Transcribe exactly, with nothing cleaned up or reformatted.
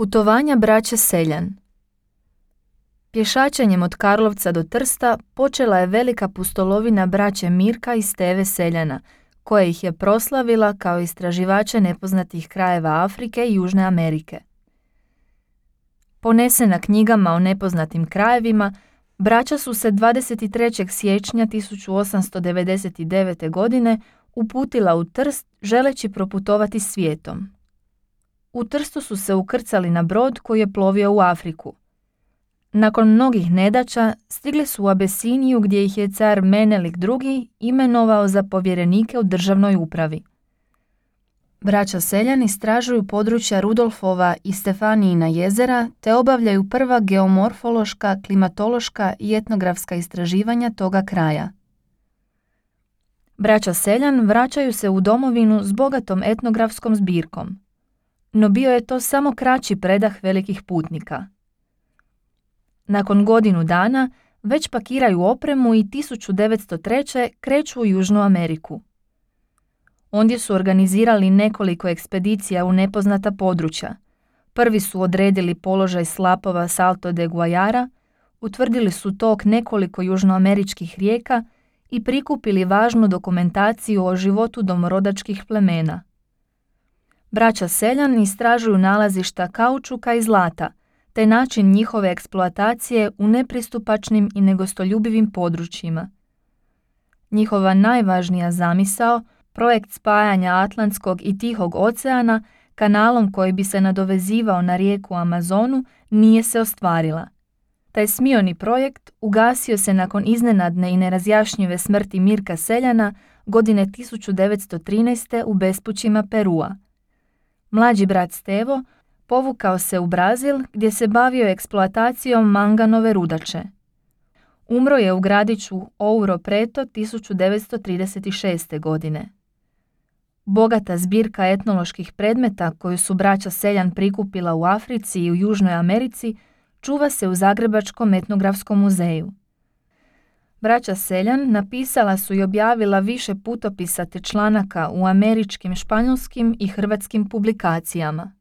Putovanja braće Seljan. Pješačenjem od Karlovca do Trsta počela je velika pustolovina braće Mirka i Steve Seljana, koja ih je proslavila kao istraživače nepoznatih krajeva Afrike i Južne Amerike. Ponesena knjigama o nepoznatim krajevima, braća su se dvadeset trećeg siječnja tisuću osamsto devedeset devete. godine uputila u Trst želeći proputovati svijetom. U Trstu su se ukrcali na brod koji je plovio u Afriku. Nakon mnogih nedaća stigli su u Abesiniju gdje ih je car Menelik drugi. imenovao za povjerenike u državnoj upravi. Braća Seljan istražuju područja Rudolfova i Stefanijina jezera te obavljaju prva geomorfološka, klimatološka i etnografska istraživanja toga kraja. Braća Seljan vraćaju se u domovinu s bogatom etnografskom zbirkom. No bio je to samo kraći predah velikih putnika. Nakon godinu dana već pakiraju opremu i tisuću devetsto treće. kreću u Južnu Ameriku. Ondje su organizirali nekoliko ekspedicija u nepoznata područja. Prvi su odredili položaj slapova Salto de Guayara, utvrdili su tok nekoliko južnoameričkih rijeka i prikupili važnu dokumentaciju o životu domorodačkih plemena. Braća Seljan istražuju nalazišta kaučuka i zlata, te način njihove eksploatacije u nepristupačnim i negostoljubivim područjima. Njihova najvažnija zamisao, projekt spajanja Atlantskog i Tihog oceana kanalom koji bi se nadovezivao na rijeku Amazonu, nije se ostvarila. Taj smioni projekt ugasio se nakon iznenadne i nerazjašnjive smrti Mirka Seljana godine tisuću devetsto trinaeste. u bespućima Perua. Mlađi brat Stevo povukao se u Brazil gdje se bavio eksploatacijom manganove rudače. Umro je u gradiću Ouro Preto tisuću devetsto trideset šeste. godine. Bogata zbirka etnoloških predmeta koju su braća Seljan prikupila u Africi i u Južnoj Americi čuva se u Zagrebačkom etnografskom muzeju. Braća Seljan napisala su i objavila više putopisa te članaka u američkim, španjolskim i hrvatskim publikacijama.